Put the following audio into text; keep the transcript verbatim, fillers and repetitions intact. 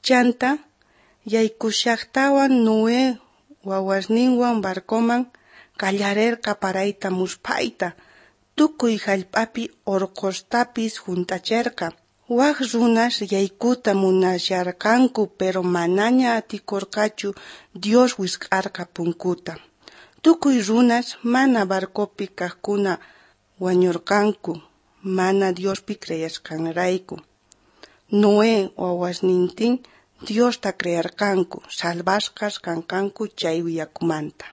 Chanta, yaykushajtawan Noé wawasninwan barcoman, qallarerqa parayta musphayta, tukuy jallp'api orqostapis junt'acherqa. Waj runas yaykuta munasharqanku, pero manaña atikorqachu, Dios wisq'arqa punkuta. Tukuy runas mana barcopi kajkuna wañorqanku, mana Diospi creesqanrayku. Noé wawasnintin Diosta creerqanku, salvasqas kanqanku chay yakumanta.